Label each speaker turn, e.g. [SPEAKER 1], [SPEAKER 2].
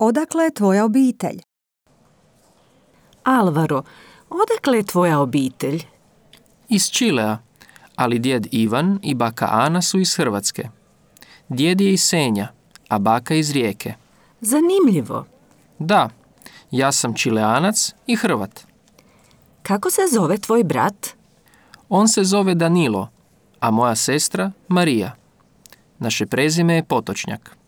[SPEAKER 1] Odakle je tvoja obitelj?
[SPEAKER 2] Alvaro, odakle je tvoja obitelj?
[SPEAKER 3] Iz Čilea, ali djed Ivan i baka Ana su iz Hrvatske. Djed je iz Senja, a baka iz Rijeke.
[SPEAKER 2] Zanimljivo.
[SPEAKER 3] Da, ja sam Čileanac i Hrvat.
[SPEAKER 2] Kako se zove tvoj brat?
[SPEAKER 3] On se zove Danilo, a moja sestra Marija. Naše prezime je Potočnjak.